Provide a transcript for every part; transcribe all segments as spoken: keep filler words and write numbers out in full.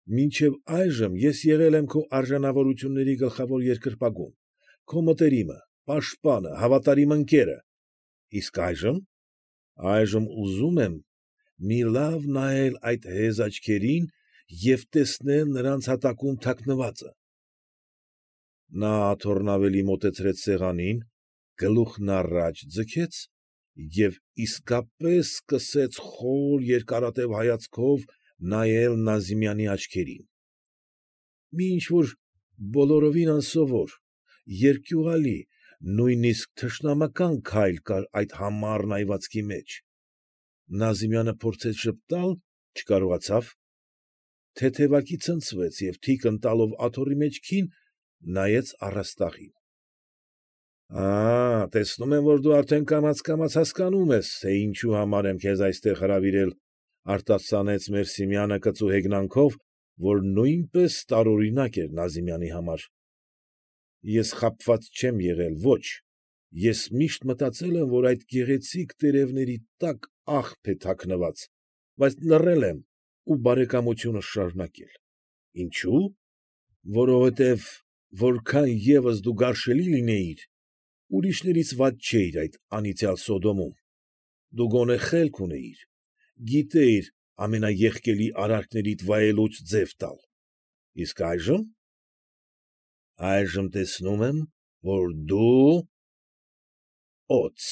Մինչև այժմ ես եղել եմ քո արժանավորությունների գլխավոր երկրպագուն, քո մտերիմը, պաշտպանը, հավատարիմ ընկերը, իսկ այժմ… այժմ ուզում եմ մի լավ նայել այդ հեզ աչքերին և տեսնել նրանց հատակում թաքնվածը… Նա աթոռն ավելի մոտեցրեց սեղանին, գլուխն առաջ ձգեց և իսկապես սկսեց խոր երկարատև հայացքով նայել Նազիմյանի աչքերին… Մի ինչ֊որ բոլորովին անսովոր, երկյուղալի, նույնիսկ թշնամական քայլ կար այդ համառ նայվածքի մեջ… Նազիմյանը փորձեց ժպտալ, չկարողացավ, թեթևակի ցնցվեց և թիկն տալով աթոռի մեջքին, նայեց առաստաղին… Ա՛, տեսնում եմ, որ դու արդեն կամաց֊կամաց հասկանում ես, թե ինչի համար եմ քեզ այստեղ հրավիրել,֊ արտասանեց Մերսիմյանը կծու հեգնանքով, որ նույնպես տարօրինակ էր Նազիմյանի համար,֊ ես խաբված չեմ եղել, ոչ, ես միշտ մտածել եմ, որ այդ գեղեցիկ տերևների տակ աղբ է թաքնված, բայց լռել եմ ու բարեկամությունս շարունակել… Ինչո՞ւ, որովհետև որքան ևս դու գարշելի լինեիր, ուրիշներից վատ չէիր այդ անիծյալ Սոդոմում, դու գոնե խելք ունեիր, գիտեիր ամենաեղկելի արարքներիդ վայելուչ ձև տալ… Իսկ այժմ… այժմ տեսնում եմ, որ դու… օձ…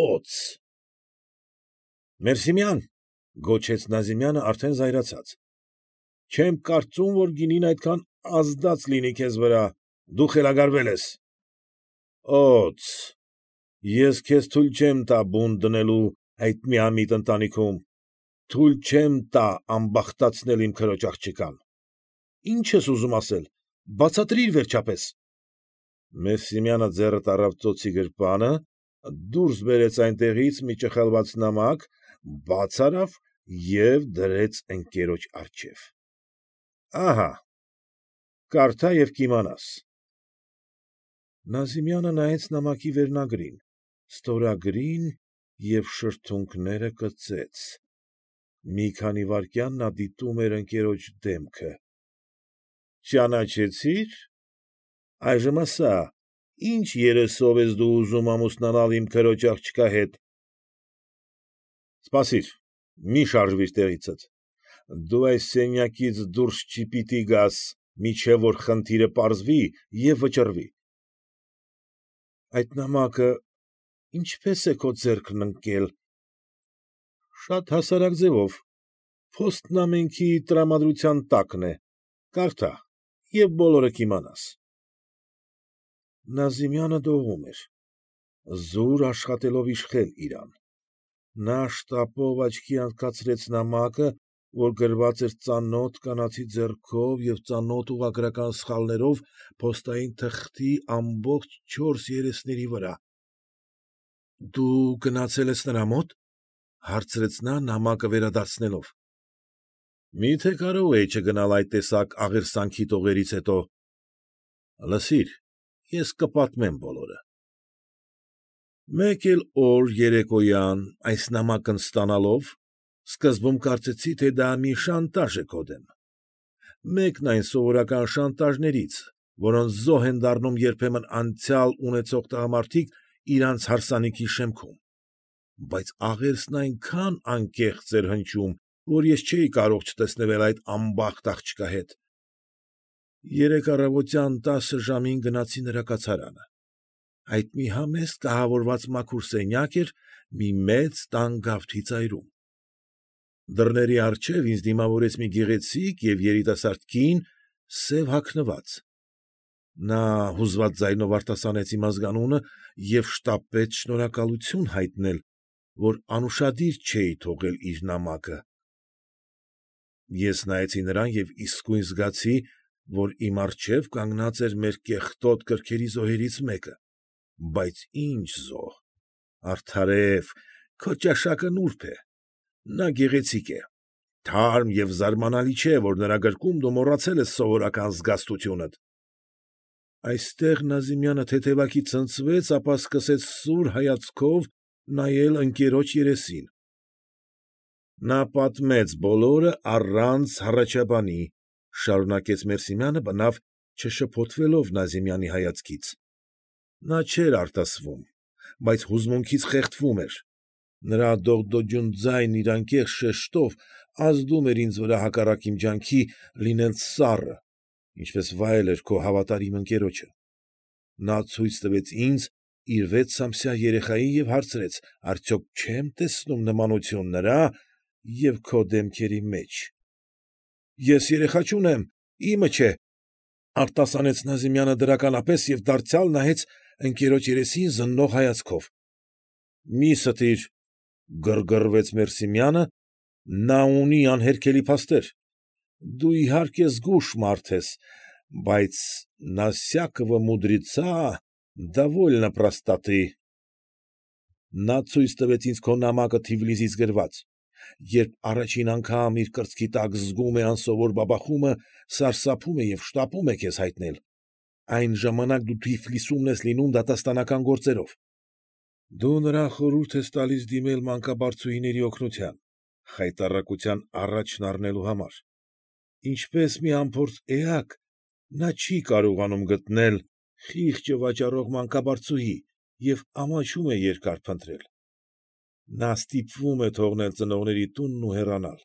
օձ… Մերսիմյա՛ն,֊ գոչեց Նազիմյանը արդեն զայրացած,֊ չեմ կարծում, որ գինին այդքան ազդած լինի քեզ վրա, դու խելագարվել ես… Օձ… ես քեզ թույլ չեմ տա բունտ դնելու այդ միամիտ ընտանիքում, թույլ չեմ տա ամբախտացնել իմ քրոջ աղջկան… Ի՞նչ ես ուզում ասել, բացատրիր վերջապես… Մերսիմյանը ձեռը տառավ ծոցի գրպանը, դուրս բերեց այնտեղից մի ճխլված նամակ, բաց արավ և դրեց ընկերոջ առջև,֊ ահա՛, կարդա և կիմանաս… Նազիմյանը նայեց նամակի վերնագրին, ստորագրին և շրթունքները կծեց… Մի քանի վայրկյան նա դիտում էր ընկերոջ դեմքը… ֊ Ճանաչեցի՞ր… այժմ ասա՛, ի՞նչ երեսով ես դու ուզում ամուսնանալ իմ քրոջ աղջկա հետ… ֊ Սպասիր, մի շարժվիր տեղիցդ, դու այս սենյակից դուրս չպիտի գաս, մինչև որ խնդիրը պարզվի և վճռվի… ֊ Այդ նամակը ինչպե՞ս է քո ձեռքն ընկել… ֊ Շատ հասարակ ձևով, փոստն ամենքի տրամադրության տակն է, կարդա և բոլորը կիմանաս… Նազիմյանը դողում էր, զուր աշխատելով իշխել իրան… Նա շտապով աչքի հանգցրեց նամակը, որ գրված էր ծանոթ կանացի ձեռքով և ծանոթ ուղղագրական սխալներով փոստային թղթի ամբողջ չորս երեսների վրա։ ֊ Դու գնացել ես նրա մո՞տ,֊ հարցրեց նա նամակը վերադարձնելով։ ֊ Մի՞թե կարող էի չգնալ այդ տեսակ աղերսանքի տողերից հետո… Լսիր, ես կպատմեմ բոլորը… Մեկ էլ օր երեկոյան, այս նամակն ստանալով, սկզբում կարծեցի, թե դա մի շանտաժ է քո դեմ… Մեկն այն սովորական շանտաժներից, որոնց զոհ են դառնում երբեմն անցյալ ունեցող տղամարդիկ իրանց հարսանիքի շեմքում… Բայց աղերսն այնքան անկեղծ էր հնչում, որ ես չէի կարող չտեսնվել այդ անբախտ աղջկա հետ… Երեկ առավոտյան տասը ժամին գնացի նրա կացարանը… Այդ մի համեստ կահավորված մաքուր սենյակ էր մի մեծ տան գավթի ծայրում… Դռների առջև ինձ դիմավորեց մի գեղեցիկ և երիտասարդ կին, սև հագնված… Նա հուզված ձայնով արտասանեց իմ ազգանունը և շտապեց շնորհակալություն հայտնել, որ անուշադիր չէի թողել իր նամակը… Ես նայեցի նրան և իսկույն զգացի, որ իմ առջև կանգնած էր մեր կեղտոտ կրքերի զոհերից մեկը… Բայց ի՛նչ զոհ… Արդարև, քո ճաշակը նուրբ է… Նա գեղեցիկ է… Թարմ և զարմանալի չէ, որ նրա գրկում դու մոռացել ես սովորական զգաստությունդ… Այստեղ Նազիմյանը թեթևակի ցնցվեց, ապա սկսեց սուր հայացքով նայել ընկերոջ երեսին… Նա պատմեց բոլորը առանց հառաչաբանի, ֊ շարունակեց Մերսիմյանը, բնավ չշփոթվելով Նազիմյանի հայացքից. նա չէր արտասվում, բայց հուզմունքից խեղդվում էր, նրա դողդոջուն ձայնն իր անկեղծ շեշտով ազդում էր ինձ վրա հակառակ իմ ջանքի լինել սառը, ինչպես վայել էր քո հավատարիմ ընկերոջը։ Նա ցույց տվեց ինձ իր վեցամսյա երեխային և հարցրեց. արդյոք չեմ տեսնում նմանություն նրա և քո դեմքերի մեջ։ ֊ Ես երեխա չունեմ, իմը չէ, ֊ արտասանեց Նազիմյանը դրականապես և դարձյալ նայեց ընկերոջ երեսին զննող հայացքով։ ֊ Մի ստիր, ֊ գրգռվեց Մերսիմյանը, ֊ նա ունի անհերքելի փաստեր։ Դու, իհարկե, զգույշ մարդ ես, բայց նա սյակովը մուդրիցա, դովոլյո պրոստատի։ Նա ցույց տվեց ինձ քո նամակը Թիֆլիսից գրված։ Երբ առաջին անգամ իր կրծքի տակ զգում է անսովոր բաբախումը, սարսափում է և շտապում է քեզ հայտնել։ Այն ժամանակ դու Թիֆլիսում ես լինում դատաստանական գործերով։ Դու նրան խորհուրդ ես տալիս դիմել մանկաբարձուհիների օգնության, խայտառակության առաջն առնելու համար։ Ինչպես մի անփորձ էակ, նա չի կարողանում գտնել խիղճը վաճառող մանկաբարձուհի և ամաչում է երկար փնտրել։ Նա ստիպվում է թողնել ծնողների տունն ու հեռանալ։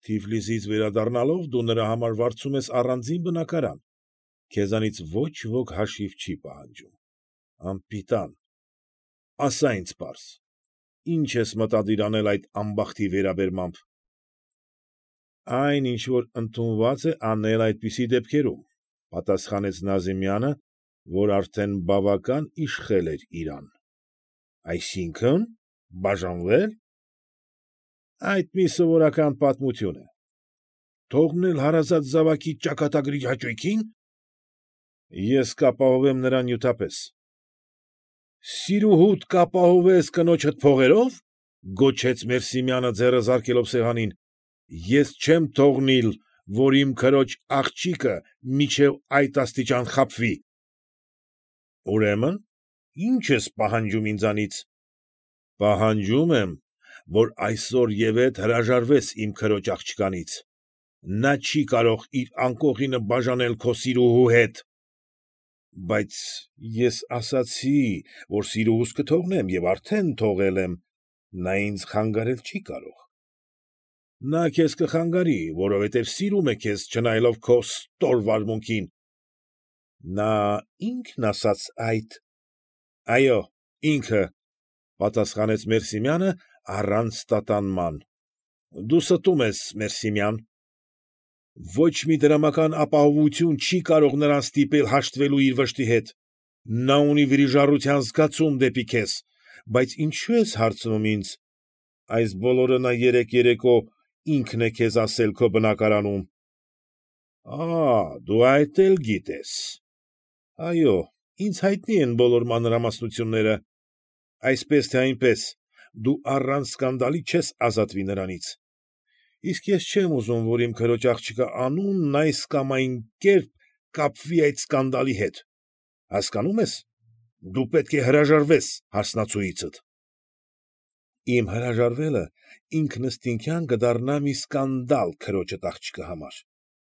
Թիֆլիսից վերադառնալով դու նրա համար վարձում ես առանձին բնակարան, քեզանից ոչ ոք հաշիվ չի պահանջում։ Անպիտան, ասա ինձ պարզ, ի՞նչ ես մտադիր անել այդ ամբախտի վերաբերմամբ։ ֊ Այն, ինչ որ ընդունված է անել այդպիսի դեպքերում, ֊ պատասխանեց Նազիմյանը, որ արդեն բավական իշխել էր իրան։ ֊ Այսինքն՝ բաժանվե՞լ։ ֊ Այդ մի սովորական պատմություն է։ ֊ Թողնել հարազատ զավակիդ ճակատագրի հաճույքին։ ֊ Ես կապահովեմ նրան նյութապես։ ֊ Սիրուհուդ կապահովես կնոջդ փողերո՞վ, ֊ գոչեց Մերսիմյանը, ձեռը զարկելով սեղանին, ֊ ես չեմ թողնիլ, որ իմ քրոջ աղջիկը մինչև այդ աստիճան խաբվի։ ֊ Ուրեմն, ի՞նչ ես պահանջում ինձանից։ ֊ Պահանջում եմ, որ այսօր ևեթ հրաժարվես իմ քրոջ աղջկանից։ Նա չի կարող իր անկողինը բաժանել քո սիրուհու հետ։ ֊ Բայց ես ասացի, որ սիրուհուս կթողնեմ և արդեն թողել եմ, նա ինձ խանգարել չի կարող։ ֊ Նա քեզ կխանգարի, որովհետև սիրում է քեզ, չնայելով քո ստոր վարմունքին։ ֊ Նա ի՞նքն ասաց այդ։ ֊ Այո, ինքը, ֊ պատասխանեց Մերսիմյանը առանց տատանման։ ֊ Դու ստում ես, Մերսիմյան։ Ոչ մի դրամական ապահովություն չի կարող նրան ստիպել հաշտվելու իր վշտի հետ։ Նա ունի վիրիժառության զգացում դեպի քեզ, բայց ինչո՞ւ ես հարցնում ինձ։ Այս բոլորը նա երեկ երեկո ինքն է քեզ ասել քո բնակարանում։ ֊ Ա՛, դու այդ էլ գիտես։ ֊ Այո, ինձ հայտնի են բոլոր մանրամասնությունները։ ֊ Այսպես թե այնպես, դու առանց սկանդալի չես ազատվի նրանից։ Իսկ ես չեմ ուզում, որ իմ քրոջ աղջկա անունն այս կամ այն կերպ կապվի այդ սկանդալի հետ։ Հասկանո՞ւմ ես, դու պետք է հրաժարվես հարսնացուիցդ։ ֊ Իմ հրաժարվելը ինքնըստինքյան կդառնա մի սկանդալ քրոջդ աղջկա համար։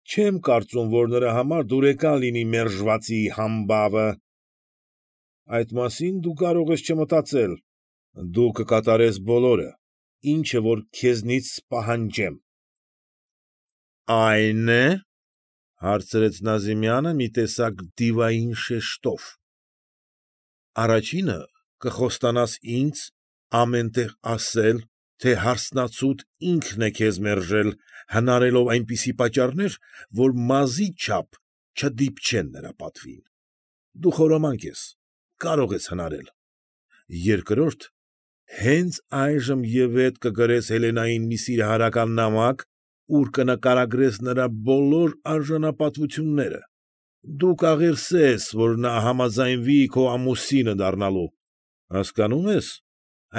Չեմ կարծում, որ նրա համար դուրեկան լինի մերժվածի համբավը։ ֊ Այդ մասին դու կարող ես չմտածել, դու կկատարես բոլորը, ինչը որ քեզնից պահանջեմ։ ֊ Ա՞յն է, ֊ հարցրեց Նազիմյանը մի տեսակ դիվային շեշտով։ ֊ Առաջինը կխոստանաս ինձ ամեն տեղ ասել, թե հարսնացուդ ինքն է քեզ մերժել, հնարելով այնպիսի պատճառներ, որ մազի չափ չդիպչեն նրա պատվին։ Դու խորամանկ ես, կարող ես հնարել։ Երկրորդ, հենց այժմ ևեթ կգրես Հելենային մի սիրահարական նամակ, ուր կնկարագրես նրա բոլոր արժանապատվությունները։ Դու կաղերսես, որ նա համաձայնվի քո ամուսինը դառնալու։ Հասկանո՞ւմ ես,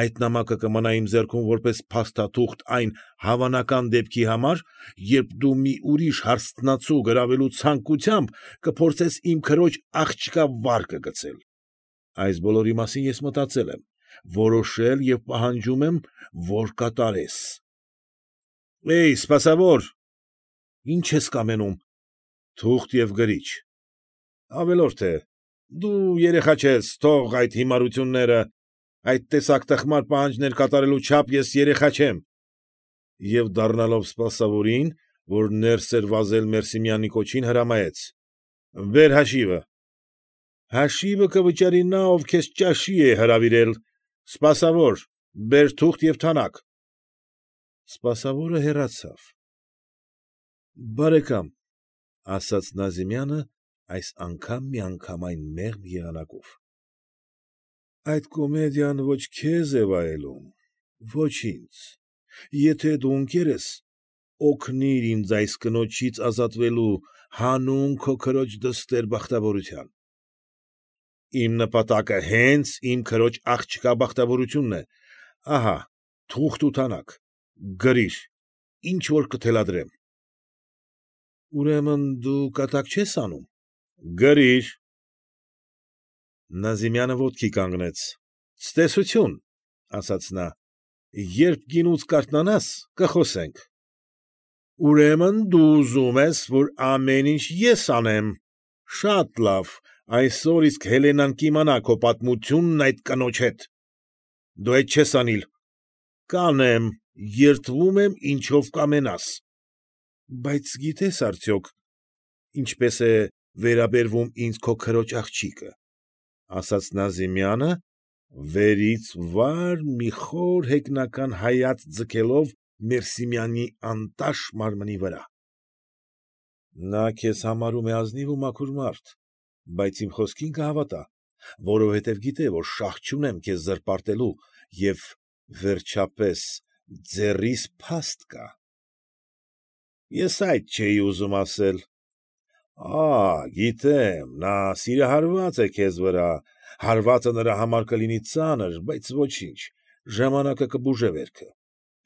այդ նամակը կմնա իմ ձեռքում որպես փաստաթուղթ այն հավանական դեպքի համար, երբ դու մի ուրիշ հարսնացու գրավելու ցանկությամբ կփորձես իմ քրոջ աղջկա վարկը գցել։ Այս բոլորի մասին ես մտածել եմ, որոշել և պահանջում եմ, որ կատարես։ Էյ, սպասավոր, ի՞նչ ես կամենում, թուղթ և գրիչ, ավելորդ է, դու երեխա չես, թող այդ հիմարությունները, այդ տեսակ տխմար պահանջներ կատարելու չափ ես երեխա չեմ, և դառնալով սպասավորին, որ ներս էր վազել Մերսիմյանի կոչին, հրամայեց. ֊ Բեր հաշիվը։ ֊ Հաշիվը կվճարի նա, ով քեզ ճաշի է հրավիրել, սպասավոր, բեր թուղթ և թանակ։ Սպասավորը հեռացավ։ ֊ Բարեկամ, ֊ ասաց Նազիմյանը այս անգամ միանգամայն մեղմ եղանակով, ֊ այդ կոմեդիան ոչ քեզ է վայելում, ոչ ինձ, եթե դու ընկեր ես, օգնիր ինձ այս կնոջից ազատվելու հանուն քո քրոջ դստեր բախտավորության։ Իմ նպատակը հենց իմ քրոջ աղջկա բախտավորությունն է, ահա թուղթ ու թանակ, գրիր, ինչ որ կթելադրեմ։ ֊ Ուրեմն դու կատակ չես անում։ ֊ Գրիր։ Նազիմյանը ոտքի կանգնեց։ ֊ Ցտեսություն, ֊ ասաց նա, ֊ երբ գինուց կարթնանաս, կխոսենք։ ֊ Ուրեմն դու ուզում ես, որ ամեն ինչ ես անեմ, շատ լավ, այսօր իսկ Հելենան կիմանա քո պատմությունն այդ կնոջ հետ։ ֊ Դու այդ չես անիլ։ ֊ Կանեմ, երդվում եմ ինչով կամենաս։ ֊ Բայց գիտե՞ս արդյոք ինչպես է վերաբերվում ինձ քո քրոջ աղջիկը, ֊ ասաց Նազիմյանը, վերից վար մի խոր հեգնական հայացք ձգելով Մերսիմյանի անտաշ մարմնի վրա։ ֊ Նա քեզ համարում է ազնիվ ու մաքուր մարդ, բայց իմ խոսքին կհավատա, որովհետև գիտե, որ շահ չունեմ քեզ զրպարտելու և, վերջապես, ձեռիս փաստ կա։ ֊ Ես այդ չէի ուզում ասել։ ֊ Ա՛, գիտեմ, նա սիրահարված է քեզ վրա, հարվածը նրա համար կլինի ծանր, բայց ոչինչ, ժամանակը կբուժե վերքը։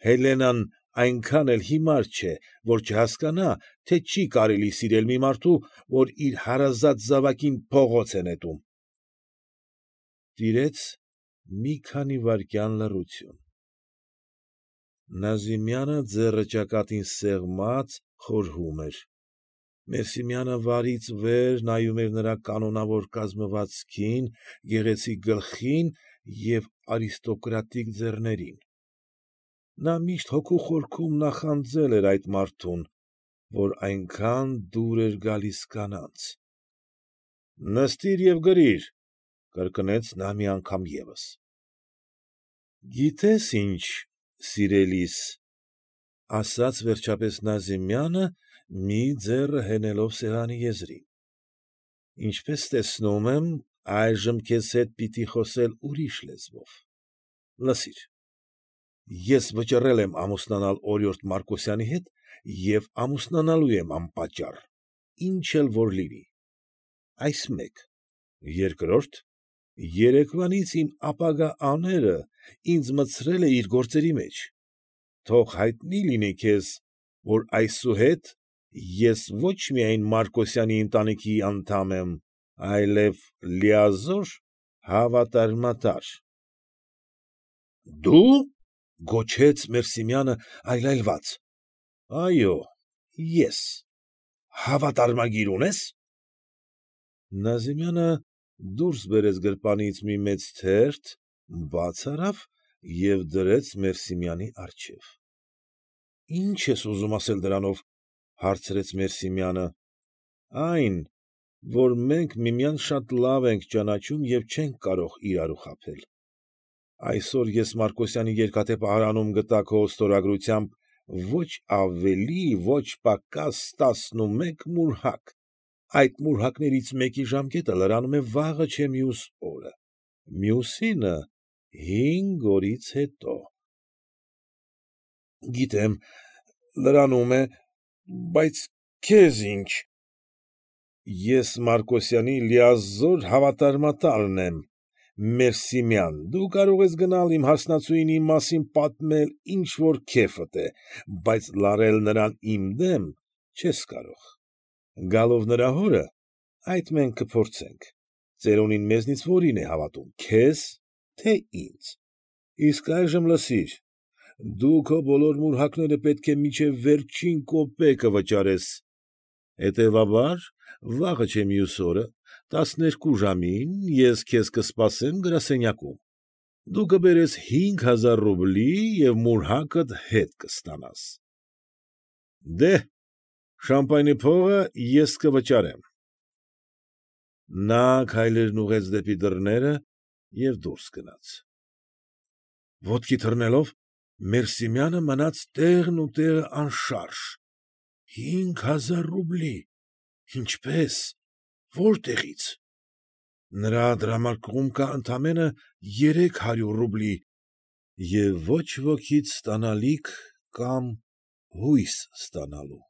Հելենան այնքան էլ հիմար չէ, որ չհասկանա, թե չի կարելի սիրել մի մարդու, որ իր հարազատ զավակին փողոց է նետում։ Տիրեց մի քանի վայրկյան լռություն։ Նազիմյանը ձեռը ճակատին սեղմած խորհում էր։ Մերսիմյանը վարից վեր նայում էր նրա կանոնավոր կազմվածքին, գեղեցիկ գլխին և արիստոկրատիկ ձեռներին։ Նա միշտ հոգու խորքում նախանձել էր այդ մարդուն, որ այնքան դուր էր գալիս կանանց։ ֊ Նստիր և գրիր, ֊ կրկնեց նա մի անգամ ևս։ ֊ Գիտե՞ս ինչ, սիրելիս, ֊ ասաց վերջապես Նազիմյանը, մի ձեռը հենելով սեղանի եզրին, ֊ ինչպես տեսնում եմ, այժմ քեզ հետ պիտի խոսել ուրիշ լեզվով։ Լսիր, ես վճռել եմ ամուսնանալ օրիորդ Մարկոսյանի հետ և ամուսնանալու եմ անպատճառ, ինչ էլ որ լինի։ Այս մեկ, երկրորդ, երեկվանից իմ ապագա աները ինձ մտցրել է իր գործերի մեջ, թող հայտնի լինի քեզ, որ այսուհետ ես ոչ միայն Մարկոսյանի ընտանիքի անդամ եմ, այլև լիազոր հավատարմատար։ ֊ Դու, ֊ գոչեց Մերսիմյանը այլայլված։ ֊ Այո, ես։ ֊ Հավատարմագիր ունե՞ս։ Նազիմյանը դուրս բերեց գրպանից մի մեծ թերթ, բաց արավ և դրեց Մերսիմյանի առջև։ ֊ Ի՞նչ ես ուզում ասել դրանով, ֊ հարցրեց Մերսիմյանը։ ֊ Այն, որ մենք միմյանց շատ լավ ենք ճանաչում և չենք կարող իրարու խաբել։ Այսօր ես Մարկոսյանի երկաթե պահարանում գտա քո ստորագրությամբ ոչ ավելի, ոչ պակաս տասնումեկ մուրհակ, այդ մուրհակներից մեկի ժամկետը լրանում է վաղը չէ մյուս օրը, մյուսինը հինգ օրից հետո։ ֊ Գիտեմ, լրանում է, բայց քեզ ի՞նչ։ ֊ Ես Մարկոսյանի լիազոր հավատարմատարն եմ, Մերսիմյան, դու կարող ես գնալ իմ հասնացուին իմ մասին պատմել ինչ որ քեֆդ է, բայց լարել նրան իմ դեմ չես կարող։ Գալով նրա հորը, այդ մենք կփորձենք, ծերունին մեզնից որին է հավատում, քեզ, թե ինձ։ Իսկ այժմ լսիր, Դու քո բոլոր մուրհակները պետք է մինչև վերջին կոպեկը վճարես, հետևաբար, վաղը չէ մյուս օրը, տասներկու ժամին ես քեզ կսպասեմ գրասենյակում, դու կբերես հինգ հազար ռուբլի և մուրհակդ հետ կստանաս։ ֊ Դե՛հ, շամպայնի փողը ես կվճարեմ։ Նա քայլերն ուղղեց դեպի դռները և դուրս գնաց։ Ոտքի թռնելով, Մերսիմյանը մնաց տեղն ու տեղը անշարժ։ Հինգ հազար ռուբլի… ինչպե՞ս, որտեղի՞ց… նրա դրամարկղում կա ընդամենը երեք հարյուր ռուբլի և ոչ ոքից ստանալիք կամ հույս ստանալու։